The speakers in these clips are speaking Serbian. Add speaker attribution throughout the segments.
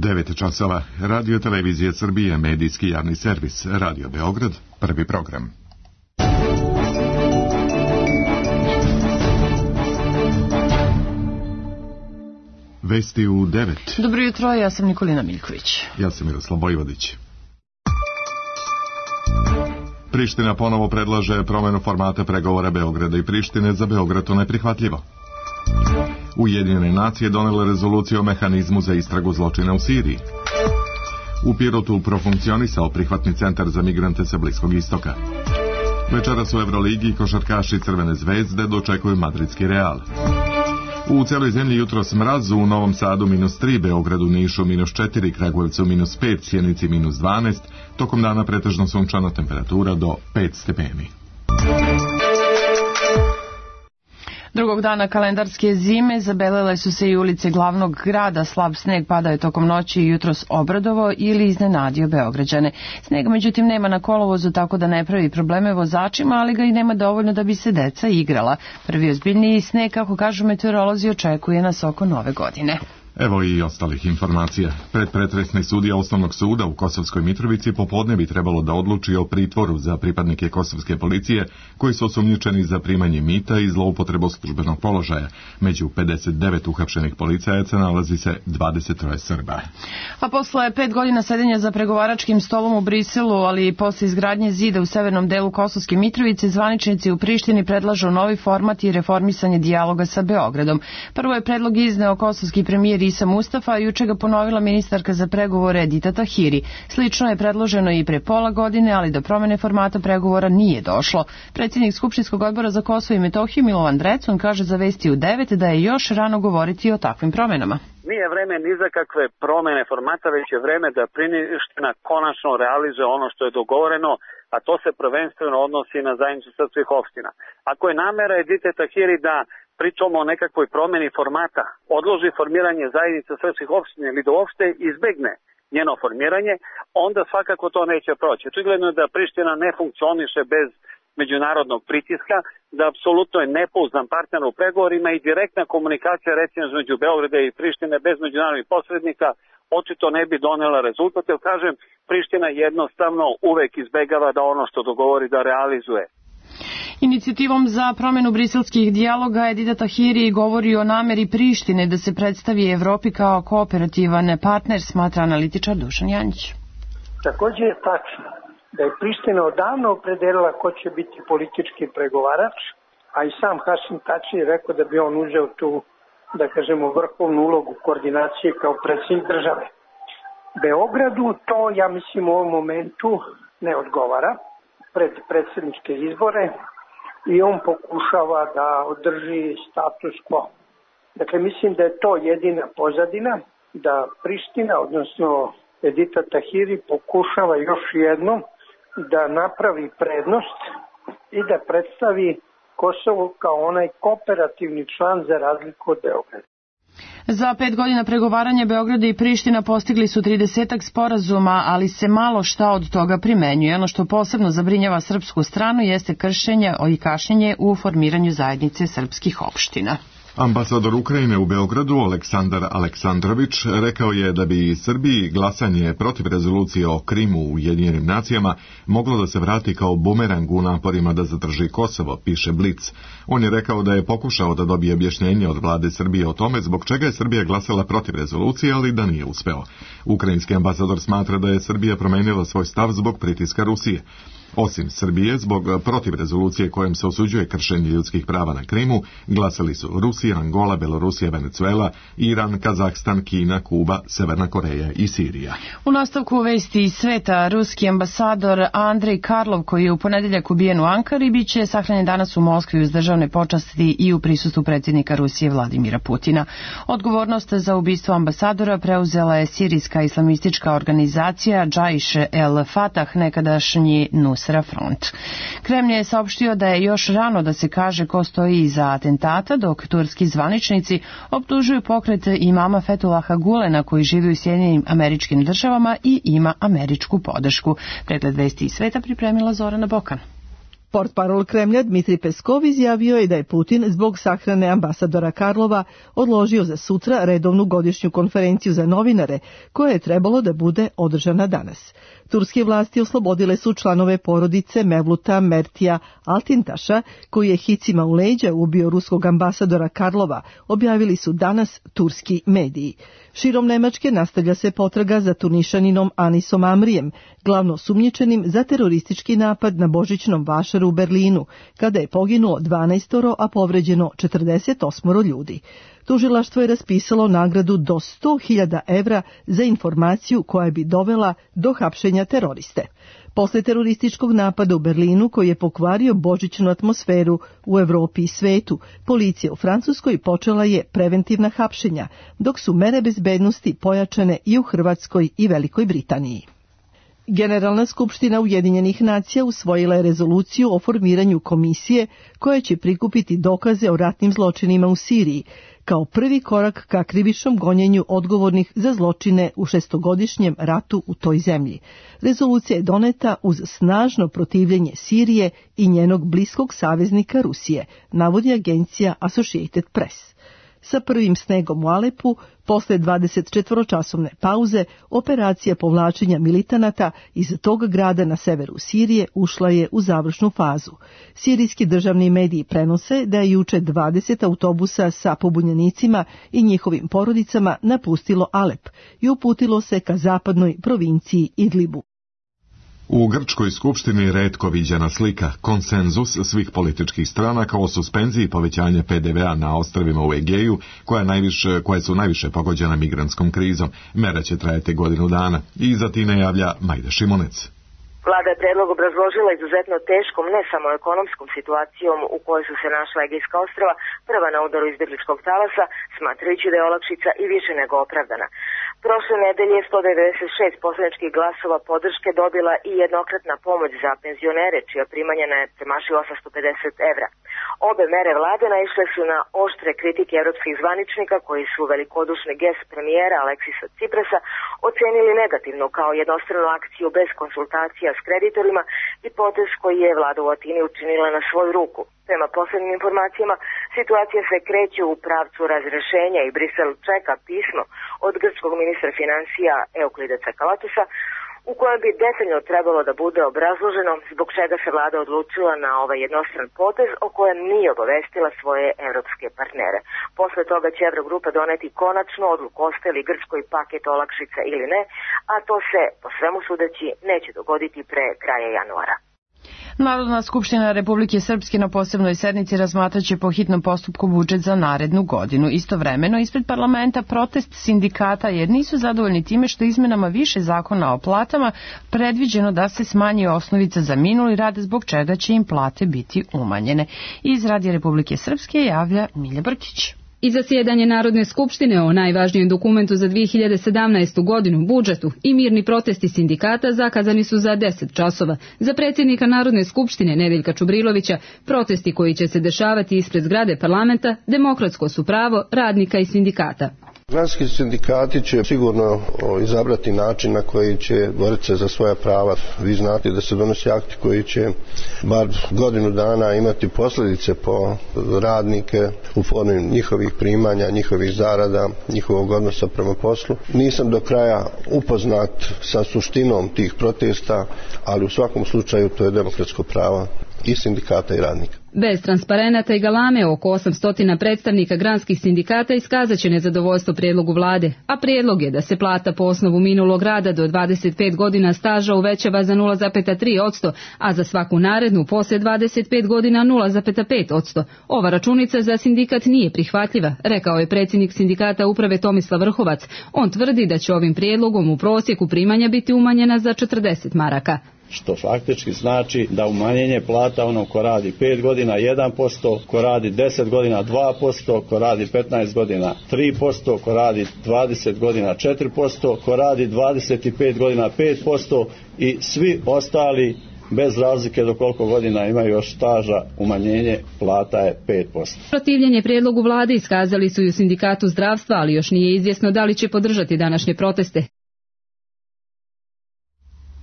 Speaker 1: 9 časova. Radio Televizije Srbije, medijski javni servis, Radio Beograd, prvi program. Vesti u 9.
Speaker 2: Dobro jutro, ja sam Nikolina Miljković.
Speaker 1: Ja sam Miroslav Vojvodić. Priština ponovo predlaže promenu formata pregovora Beograda i Prištine. Za Beograd to neprihvatljivo. Ujedinjene nacije donele rezoluciju o mehanizmu za istragu zločina u Siriji. U Pirotu profunkcionisao prihvatni centar za migrante sa Bliskog istoka. Večeras u Evroligi košarkaši Crvene zvezde dočekuju madridski Real. U celoj zemlji jutros mraz, u Novom Sadu -3, Beogradu, Nišu -4, Kragujevcu -5, Sjenici -12, tokom dana pretežno sunčana, temperatura do 5 stepeni.
Speaker 2: Drugog dana kalendarske zime zabelele su se i ulice glavnog grada. Slab sneg padao je tokom noći i jutros obradovo ili iznenadio Beograđane. Snega međutim nema na kolovozu, tako da ne pravi probleme vozačima, ali ga i nema dovoljno da bi se deca igrala. Prvi ozbiljniji sneg, kako kažu meteorolozi, očekuje nas oko Nove godine.
Speaker 1: Evo i ostalih informacija. Predpretresni sudija Osnovnog suda u Kosovskoj Mitrovici popodne bi trebalo da odluči o pritvoru za pripadnike kosovske policije koji su osumnjičeni za primanje mita i zloupotrebu službenog položaja. Među 59 uhapšenih policajaca nalazi se 23 Srba.
Speaker 2: A posle 5 godina sedenja za pregovaračkim stolom u Briselu, ali i posle izgradnje zida u severnom delu Kosovske Mitrovice, zvaničnici u Prištini predlažu novi format i reformisanje dijaloga sa Beogradom. Prvo je predlog izneo kosovski premijer Isa Mustafa, a juče ga ponovila ministarka za pregovore Edita Tahiri. Slično je predloženo i pre pola godine, ali do promene formata pregovora nije došlo. Predsjednik Skupštinskog odbora za Kosovo i Metohiju Milovan Drecun kaže za Vesti u 9 da je još rano govoriti o takvim promenama.
Speaker 3: Nije vreme ni za kakve promene formata, već je vreme da Priština konačno realizuje ono što je dogovoreno, a to se prvenstveno odnosi na zajednicu srpskih opština. Ako je namera Edite Tahiri da pričamo o nekakvoj promeni formata, odloži formiranje zajednice srpskih opština ili da uopšte izbegne njeno formiranje, onda svakako to neće proći. Očigledno je da Priština ne funkcioniše bez međunarodnog pritiska, da apsolutno je nepouzdan partner u pregovorima i direktna komunikacija recimo između Beograda i Prištine bez međunarodnih posrednika očito ne bi donela rezultat, jer kažem, Priština jednostavno uvek izbegava da ono što dogovori da realizuje.
Speaker 2: Inicijativom za promjenu briselskih dijaloga Edita Tahiri govori o nameri Prištine da se predstavi Evropi kao kooperativan partner, smatra analitičar Dušan Janjić.
Speaker 4: Također je tačno da je Priština odavno opredelila ko će biti politički pregovarač, a i sam Hašim Tači je rekao da bi on uzeo tu, da kažemo, vrhovnu ulogu koordinacije kao predsjednik države. Beogradu to, ja mislim, u ovom momentu ne odgovara pred predsjedničke izbore i on pokušava da održi status quo. Dakle, mislim da je to jedina pozadina, da Priština, odnosno Edita Tahiri, pokušava još jednom da napravi prednost i da predstavi Kosovo kao onaj kooperativni član za razliku od Beograda.
Speaker 2: Za 5 godina pregovaranja Beograda i Priština postigli su 30-ak sporazuma, ali se malo šta od toga primenjuje. Ono što posebno zabrinjava srpsku stranu jeste kršenje i kašnjenje u formiranju zajednice srpskih opština.
Speaker 1: Ambasador Ukrajine u Beogradu Aleksandar Aleksandrović rekao je da bi Srbiji glasanje protiv rezolucije o Krimu u Ujedinjenim nacijama moglo da se vrati kao bumerang u naporima da zadrži Kosovo, piše Blic. On je rekao da je pokušao da dobije objašnjenje od vlade Srbije o tome zbog čega je Srbija glasala protiv rezolucije, ali da nije uspeo. Ukrajinski ambasador smatra da je Srbija promenila svoj stav zbog pritiska Rusije. Osim Srbije, zbog protiv rezolucije kojom se osuđuje kršenje ljudskih prava na Krimu, glasali su Rusija, Angola, Belorusija, Venezuela, Iran, Kazahstan, Kina, Kuba, Severna Koreja i Sirija.
Speaker 2: U nastavku Vesti iz sveta, ruski ambasador Andrej Karlov, koji je u ponedeljak ubijen u Ankari, biće sahranjen danas u Moskvi uz državne počasti i u prisustvu predsjednika Rusije Vladimira Putina. Odgovornost za ubistvo ambasadora preuzela je sirijska islamistička organizacija Džaiš el Fatah, nekadašnji Nusra Front. Kremlj je saopštio da je još rano da se kaže ko stoji iza atentata, dok turski zvaničnici optužuju pokret imama Fethullaha Gulena koji živi u Sjedinjenim Američkim Državama i ima američku podršku. Pregled Vesti iz sveta pripremila Zorana Bokan.
Speaker 5: Portparol Kremlja Dmitrij Peskov izjavio je da je Putin zbog sahrane ambasadora Karlova odložio za sutra redovnu godišnju konferenciju za novinare koja je trebalo da bude održana danas. Turske vlasti oslobodile su članove porodice Mevluta Mertija Altintaša, koji je hicima u leđa ubio ruskog ambasadora Karlova, objavili su danas turski mediji. Širom Nemačke nastavlja se potraga za Tunišaninom Anisom Amrijem, glavno osumnjičenim za teroristički napad na božićnom vašaru u Berlinu, kada je poginulo 12, a povređeno 48 ljudi. Tužilaštvo je raspisalo nagradu do 100.000 evra za informaciju koja bi dovela do hapšenja teroriste. Posle terorističkog napada u Berlinu koji je pokvario božićnu atmosferu u Evropi i svetu, policija u Francuskoj počela je preventivna hapšenja, dok su mere bezbednosti pojačane i u Hrvatskoj i Velikoj Britaniji. Generalna skupština Ujedinjenih nacija usvojila je rezoluciju o formiranju komisije koja će prikupiti dokaze o ratnim zločinima u Siriji, kao prvi korak ka krivičnom gonjenju odgovornih za zločine u 6-godišnjem ratu u toj zemlji. Rezolucija je doneta uz snažno protivljenje Sirije i njenog bliskog saveznika Rusije, navodi agencija Associated Press. Sa prvim snegom u Alepu, posle 24-časovne pauze, operacija povlačenja militanata iz tog grada na severu Sirije ušla je u završnu fazu. Sirijski državni mediji prenose da je juče 20 autobusa sa pobunjenicima i njihovim porodicama napustilo Alep i uputilo se ka zapadnoj provinciji Idlibu.
Speaker 1: U Grčkoj skupštini retko viđena slika, konsenzus svih političkih stranaka o suspenziji povećanja PDV-a na ostrvima u Egeju, koje su najviše pogođena migrantskom krizom. Mera će trajati godinu dana. I za time javlja Majda Šimunec.
Speaker 6: Vlada je predlog obrazložila izuzetno teškom, ne samo ekonomskom situacijom u kojoj su se našla Egejska ostrva, prva na udaru izbjegličkog talasa, smatrajući da je olakšica i više nego opravdana. Prošle nedelje 196 poslaničkih glasova podrške dobila i jednokratna pomoć za penzionere, čija primanja ne premašuju 850 evra. Obe mere vlade naišle su na oštre kritike evropskih zvaničnika koji su velikodušni gest premijera Aleksisa Ciprasa ocenili negativno kao jednostranu akciju bez konsultacija s kreditorima i potez koji je vlada u Atini učinila na svoju ruku. Prema poslednjim informacijama, situacija se kreće u pravcu razrešenja i Brisel čeka pismo od grčkog ministra financija Euklida Cakalotusa, u kojem bi detaljno trebalo da bude obrazloženo zbog čega se vlada odlučila na ovaj jednostran potez o kojem nije obavestila svoje evropske partnere. Posle toga će Evrogrupa doneti konačnu odluku ostaje li Grčkoj paket olakšica ili ne, a to se, po svemu sudeći, neće dogoditi pre kraja januara.
Speaker 2: Narodna skupština Republike Srpske na posebnoj sednici razmatraće po hitnom postupku budžet za narednu godinu. Istovremeno, ispred parlamenta protest sindikata jer nisu zadovoljni time što izmenama više zakona o platama predviđeno da se smanji osnovica za minuli rad, zbog čega će im plate biti umanjene. Iz Radija Republike Srpske javlja Milja Brkić.
Speaker 7: I zasjedanje Narodne skupštine o najvažnijem dokumentu za 2017. godinu, budžetu, i mirni protesti sindikata zakazani su za 10 časova. Za predsjednika Narodne skupštine Nedeljka Čubrilovića, protesti koji će se dešavati ispred zgrade parlamenta demokratsko su pravo radnika i sindikata.
Speaker 8: Granski sindikati će sigurno izabrati način na koji će boriti se za svoja prava. Vi znate da se donosi akti koji će bar godinu dana imati posljedice po radnike u formi njihovih primanja, njihovih zarada, njihovog odnosa prema poslu. Nisam do kraja upoznat sa suštinom tih protesta, ali u svakom slučaju to je demokratsko pravo i sindikata i radnika.
Speaker 7: Bez transparenata i galame oko 800 predstavnika granskih sindikata iskazat će nezadovoljstvo prijedlogu vlade, a prijedlog je da se plata po osnovu minulog rada do 25 godina staža uvećava za 0,3%, a za svaku narednu posle 25 godina 0,5%. Ova računica za sindikat nije prihvatljiva, rekao je predsjednik sindikata uprave Tomislav Vrhovac. On tvrdi da će ovim prijedlogom u prosjeku primanja biti umanjena za 40 maraka.
Speaker 9: Što faktički znači da umanjenje plata onom ko radi 5 godina 1%, ko radi 10 godina 2%, ko radi 15 godina 3%, ko radi 20 godina 4%, ko radi 25 godina 5% i svi ostali bez razlike do koliko godina imaju još staža, umanjenje plata je 5%.
Speaker 7: Protivljenje prijedlogu vlade iskazali su i u sindikatu zdravstva, ali još nije izvjesno da li će podržati današnje proteste.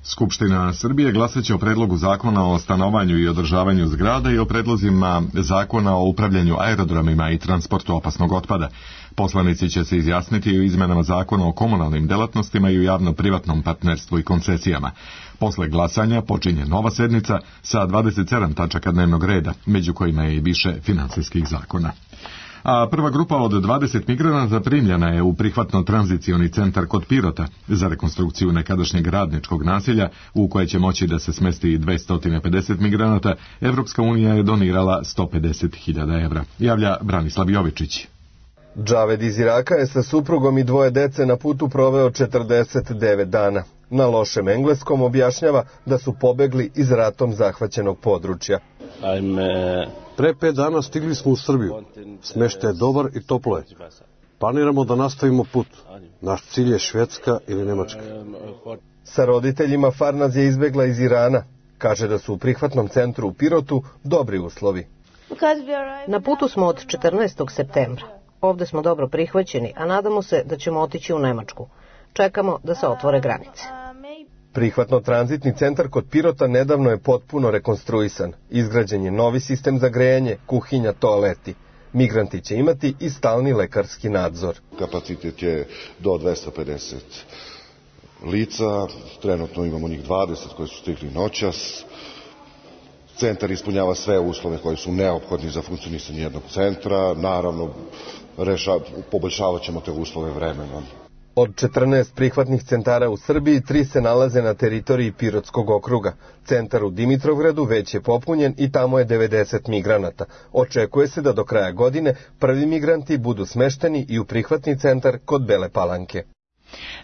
Speaker 1: Skupština Srbije glasaće o predlogu zakona o stanovanju i održavanju zgrada i o predlozima zakona o upravljanju aerodromima i transportu opasnog otpada. Poslanici će se izjasniti o izmenama zakona o komunalnim delatnostima i o javno-privatnom partnerstvu i koncesijama. Posle glasanja počinje nova sednica sa 27 tačaka dnevnog reda, među kojima je i više finansijskih zakona. A prva grupa od 20 migranata primljena je u prihvatno-tranzicioni centar kod Pirota za rekonstrukciju nekadašnjeg radničkog naselja u koje će moći da se smesti 250 migranata. Evropska unija je donirala 150.000 evra. Javlja Branislav Jovičić.
Speaker 10: Džaved iz Iraka je sa suprugom i dvoje dece na putu proveo 49 dana. Na lošem engleskom objašnjava da su pobegli iz ratom zahvaćenog područja.
Speaker 11: Pre 5 dana stigli smo u Srbiju. Smeštaj je dobar i toplo je. Planiramo da nastavimo put. Naš cilj je Švedska ili Nemačka.
Speaker 10: Sa roditeljima Farnaz je izbegla iz Irana. Kaže da su u prihvatnom centru u Pirotu dobri uslovi.
Speaker 12: Na putu smo od 14. septembra. Ovde smo dobro prihvaćeni, a nadamo se da ćemo otići u Nemačku. Čekamo da se otvore granice.
Speaker 10: Prihvatno-tranzitni centar kod Pirota nedavno je potpuno rekonstruisan. Izgrađen je novi sistem za grejanje, kuhinja, toaleti. Migranti će imati i stalni lekarski nadzor.
Speaker 13: Kapacitet je do 250 lica, trenutno imamo njih 20 koji su stigli noćas. Centar ispunjava sve uslove koji su neophodni za funkcionisanje jednog centra. Naravno, poboljšavat ćemo te uslove vremenom.
Speaker 10: Od 14 prihvatnih centara u Srbiji, 3 se nalaze na teritoriji Pirotskog okruga. Centar u Dimitrovgradu već je popunjen i tamo je 90 migranata. Očekuje se da do kraja godine prvi migranti budu smešteni i u prihvatni centar kod Bele Palanke.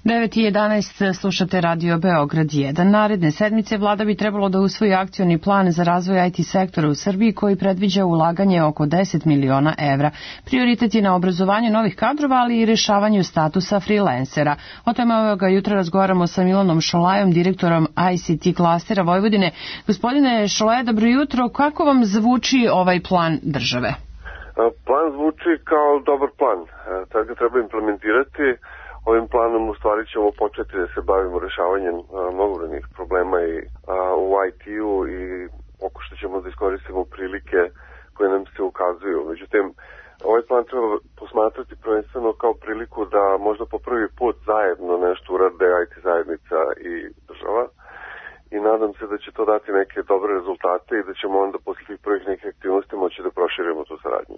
Speaker 2: 9:11 slušate Radio Beograd 1. Naredne sedmice vlada bi trebalo da usvoji akcioni plan za razvoj IT sektora u Srbiji koji predviđa ulaganje oko 10 miliona evra. Prioritet je na obrazovanju novih kadrova, ali i rešavanju statusa freelancera. O tome ovoga jutra razgovaramo sa Milanom Šolajom, direktorom ICT klastera Vojvodine. Gospodine Šolaja, dobro jutro. Kako vam zvuči ovaj plan države?
Speaker 14: Plan zvuči kao dobar plan. Tad ga treba implementirati. Ovim planom u stvari ćemo početi da se bavimo rešavanjem mnogobrojnih problema i u IT-u i pokušat ćemo da iskoristimo prilike koje nam se ukazuju. Međutim, ovaj plan treba posmatrati prvenstveno kao priliku da možda po prvi put zajedno nešto urade IT zajednica i država. I nadam se da će to dati neke dobre rezultate i da ćemo onda posle tih prvih nekih aktivnosti moći da proširimo tu saradnju.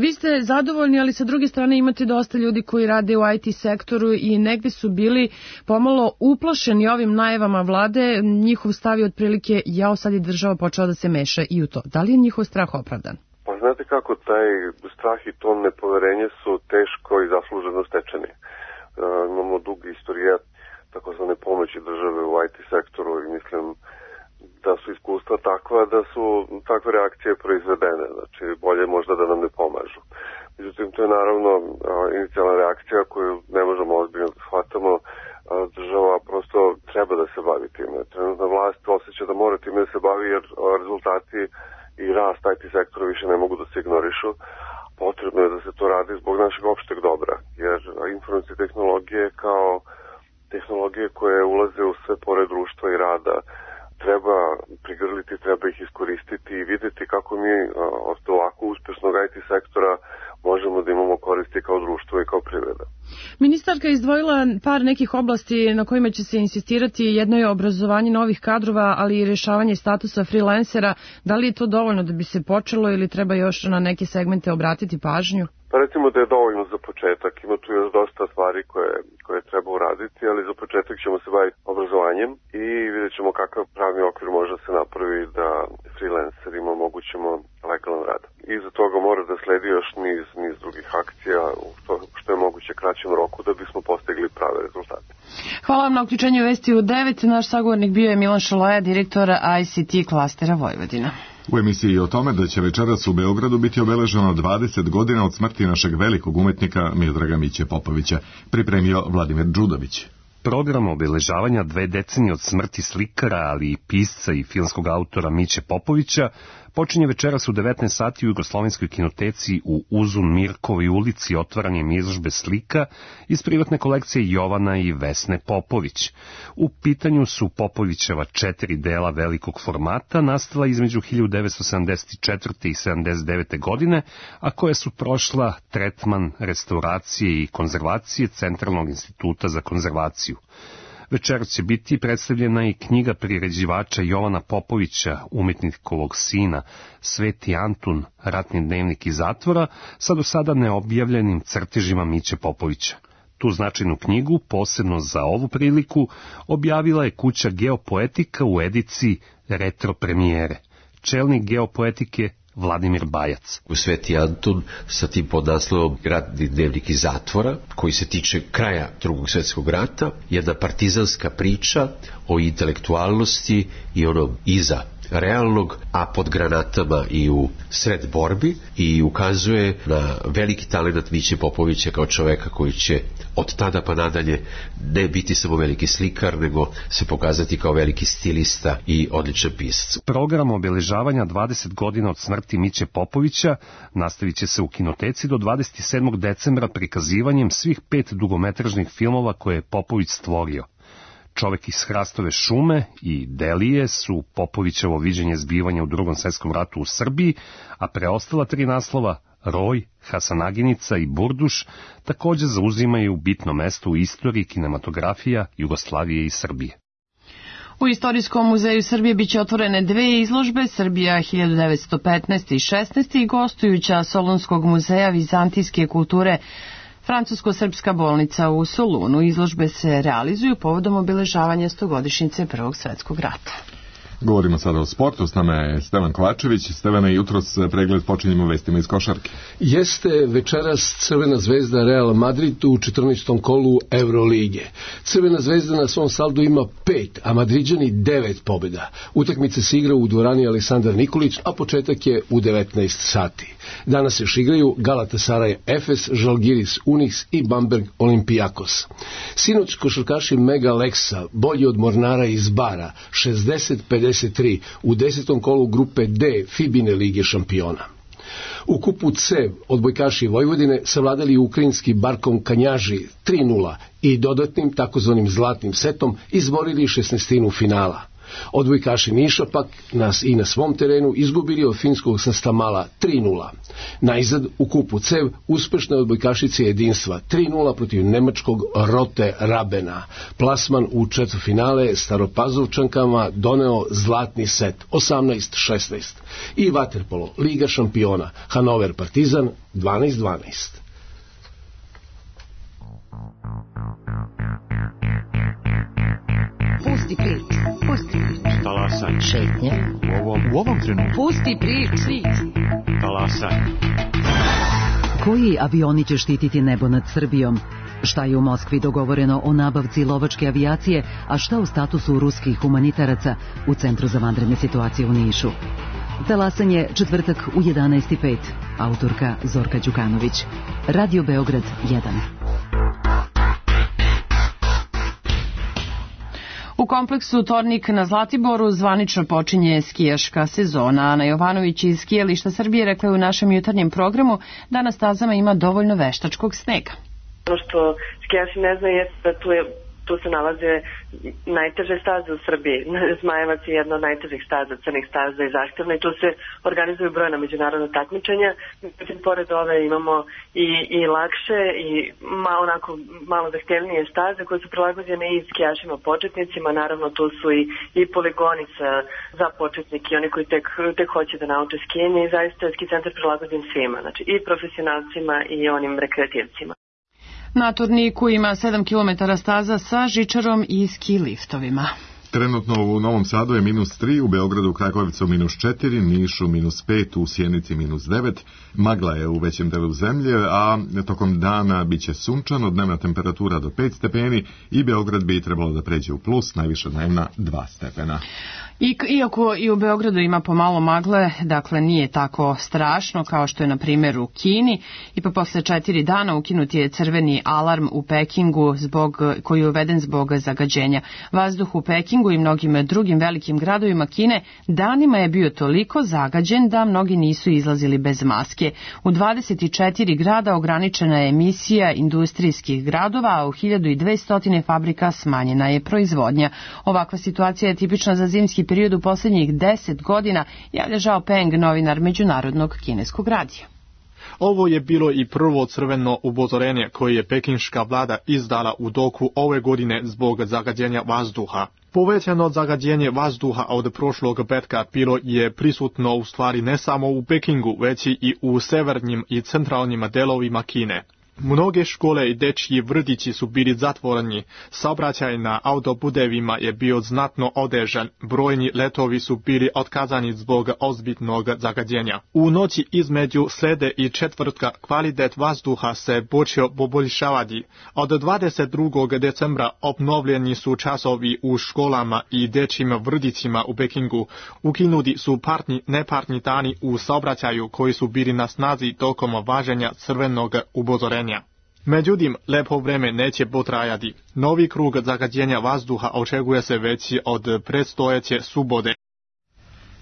Speaker 2: Vi ste zadovoljni, ali sa druge strane imate dosta ljudi koji rade u IT sektoru i negde su bili pomalo uplašeni ovim najavama vlade. Njihov stav je otprilike, sad je država počela da se meša i u to. Da li je njihov strah opravdan?
Speaker 14: Pa znate kako, taj strah i to nepoverenje su teško i zasluženo stečeni. Imamo dug istorijat takozvane pomoći države u IT sektoru i mislim da su iskustva takva da su takve reakcije proizvedene, znači bolje možda da nam ne pomažu. Međutim, to je naravno inicijalna reakcija koju ne možemo ozbiljno da shvatamo. Država prosto treba da se bavi time. Trenutna vlast osjeća da mora time da se bavi jer rezultati i rast IT sektora više ne mogu da se ignorišu. Potrebno je da se to radi zbog našeg opšteg dobra, jer informacijske tehnologije kao tehnologije koje ulaze u sve pore društva i rada treba prigrliti, treba ih iskoristiti i vidjeti kako mi od ovako uspešnog IT sektora možemo da imamo koristi kao društvo i kao privreda.
Speaker 2: Ministarka je izdvojila par nekih oblasti na kojima će se insistirati. Jedno je obrazovanje novih kadrova, ali i rešavanje statusa freelancera. Da li je to dovoljno da bi se počelo ili treba još na neke segmente obratiti pažnju?
Speaker 14: Pa recimo da je dovoljno za početak. Ima tu još dosta stvari koje treba uraditi, ali za početak ćemo se baviti obrazovanjem i vidjet ćemo kakav pravni okvir može da se napravi da freelancerima omogućimo legalan rad. Iza toga mora da sledi još niz drugih akcija u što je moguće kraćem roku da bismo postigli prave rezultate.
Speaker 2: Hvala vam na uključenju Vesti u 9. Naš sagovornik bio je Milan Šolaja, direktor ICT klastera Vojvodina.
Speaker 1: U emisiji o tome da će večeras u Beogradu biti obeleženo 20 godina od smrti našeg velikog umetnika Miodraga Miće Popovića, pripremio Vladimir Đudović.
Speaker 15: Program obeležavanja 2 decenije od smrti slikara, ali i pisca i filmskog autora Miće Popovića Počinje večeras u 19 sati u Jugoslovenskoj kinoteci u Uzun Mirkovoj ulici otvaranjem izložbe slika iz privatne kolekcije Jovana i Vesne Popović. U pitanju su Popovićeva 4 dela velikog formata, nastala između 1974. i 79. godine, a koja su prošla tretman restauracije i konzervacije Centralnog instituta za konzervaciju. Večeras će biti predstavljena i knjiga priređivača Jovana Popovića, umetnikovog sina, Sveti Antun, ratni dnevnik iz zatvora, sa do sada neobjavljenim crtežima Miće Popovića. Tu značajnu knjigu, posebno za ovu priliku, objavila je kuća Geopoetika u ediciji Retro premijere. Čelnik Geopoetike Vladimir Bajac.
Speaker 16: U Sveti Antun sa tim podnaslovom Ratni dnevnik iz zatvora, koji se tiče kraja Drugog svjetskog rata, jedna partizanska priča o intelektualnosti i onom iza realnog, a pod granatama i u sred borbi, i ukazuje na veliki talent Miće Popovića kao čoveka koji će od tada pa nadalje ne biti samo veliki slikar, nego se pokazati kao veliki stilista i odličan pisac.
Speaker 15: Program obeležavanja 20 godina od smrti Miće Popovića nastavit će se u kinoteci do 27. decembra prikazivanjem svih 5 dugometražnih filmova koje je Popović stvorio. Čovek iz Hrastove šume i Delije su Popovićevo viđenje zbivanja u Drugom svjetskom ratu u Srbiji, a preostala 3 naslova, Roj, Hasanaginica i Burduš, također zauzimaju bitno mesto u istoriji kinematografija Jugoslavije i Srbije.
Speaker 2: U Istorijskom muzeju Srbije biće otvorene 2 izložbe, Srbija 1915. i 16. i gostujuća Solunskog muzeja vizantijske kulture Francusko-srpska bolnica u Solunu. Izložbe se realizuju povodom obeležavanja 100-godišnjice Prvog svjetskog rata.
Speaker 1: Govorimo sada o sportu, s nama je Stevan Kovačević. Stevane, jutros pregled počinjemo vestima iz košarke.
Speaker 17: Jeste večeras Crvena zvezda Real Madrid u 14. kolu Eurolige. Crvena zvezda na svom saldu ima 5, a Madriđani 9 pobjeda. Utakmice se igra u dvorani Aleksandar Nikolić, a početak je u 19 sati. Danas još igraju Galatasaray Efes, Žalgiris Unix i Bamberg Olympiakos. Sinoć košarkaši Mega Leksa, bolji od Mornara iz Bara, 60-53 u 10. kolu grupe D Fibine lige šampiona. U kupu C odbojkaši Vojvodine savladali ukrajinski Barkom Kanjaži 3:0 i dodatnim takozvanim zlatnim setom izborili 16. finala. Odbojkaši Niša pak nas i na svom terenu izgubili od finskog Sastamala 3:0. Najzad u kupu CEV uspešne odbojkašice jedinstva 3:0 protiv nemačkog Rote Rabena. Plasman u četvrtfinale Staropazovčankama doneo zlatni set 18-16. I vaterpolo Liga šampiona Hanover Partizan 12-12.
Speaker 18: Pusti prič, pusti prič.
Speaker 19: Talasaj.
Speaker 18: Šetnje.
Speaker 19: U ovom trenutku.
Speaker 18: Pusti prič.
Speaker 19: Talasaj.
Speaker 18: Koji avioni će štititi nebo nad Srbijom? Šta je u Moskvi dogovoreno o nabavci lovačke avijacije, a šta u statusu ruskih humanitaraca u Centru za vanredne situacije u Nišu? Talasanje četvrtak u 11:05. Autorka Zorka Đukanović. Radio Beograd 1.
Speaker 2: U kompleksu Tornik na Zlatiboru zvanično počinje skijaška sezona. Ana Jovanović iz Skijališta Srbije rekla je u našem jutarnjem programu da na stazama ima dovoljno veštačkog snega.
Speaker 6: Ono što skijaši ne znaju je da tu se nalaze najteže staze u Srbiji. Zmajevac je jedna od najtežih staza, crnih staza i zahtevna, i tu se organizuju brojna međunarodna takmičenja. Međutim, pored ove imamo i lakše i malo zahtevnije staze koje su prilagođene i skijašima početnicima. Naravno, tu su i poligoni za početnike i oni koji tek hoće da nauče skijanje, i zaista je ski centar prilagođen svima, znači i profesionalcima i onim rekreativcima.
Speaker 2: Na Torniku ima 7 km staza sa žičarom i ski liftovima.
Speaker 1: Trenutno u Novom Sadu je -3, u Beogradu, Kragujevcu -4, Nišu -5, u Sjenici -9. Magla je u većem delu zemlje, a tokom dana biće sunčano, dnevna temperatura do 5 stepeni i Beograd bi trebalo da pređe u plus, najviša dnevna 2 stepena.
Speaker 2: Iako i u Beogradu ima pomalo magle, dakle nije tako strašno kao što je na primjer u Kini, i pa posle 4 dana ukinut je crveni alarm u Pekingu koji je uveden zbog zagađenja. Vazduh u Pekingu i mnogim drugim velikim gradovima Kine danima je bio toliko zagađen da mnogi nisu izlazili bez maske. U 24 grada ograničena je emisija industrijskih gradova, a u 1200 fabrika smanjena je proizvodnja. Ovakva situacija je tipična za zimski period u posljednjih 10 godina, javlja Zhao Peng, novinar Međunarodnog kineskog radija.
Speaker 20: Ovo je bilo i prvo crveno upozorenje koje je pekinška vlada izdala u toku ove godine zbog zagađenja vazduha. Povećano zagađenje vazduha od prošlog petka bilo je prisutno u stvari ne samo u Pekingu, već i u severnim i centralnim delovima Kine. Mnoge škole i dečji vrtići su bili zatvoreni, saobraćaj na autoputevima je bio znatno otežan, brojni letovi su bili otkazani zbog ozbiljnog zagađenja. U noći između srede i četvrtka kvalitet vazduha se počeo poboljšavati. Od 22. decembra obnovljeni su časovi u školama i dečjim vrtićima u Pekingu. Ukinuti su nepartni dani u saobraćaju koji su bili na snazi tokom važenja crvenog upozorenja. Međutim, lepo vreme neće potrajati. Novi krug zagađenja vazduha očekuje se već od predstojeće subote.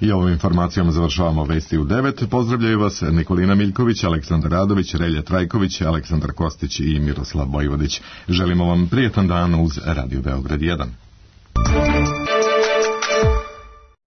Speaker 1: I ovom informacijom završavamo Vesti u 9. Pozdravljaju vas Nikolina Miljković, Aleksandar Radović, Relja Trajković, Aleksandar Kostić i Miroslav Vojvodić. Želimo vam prijetan dan uz Radio Beograd 1.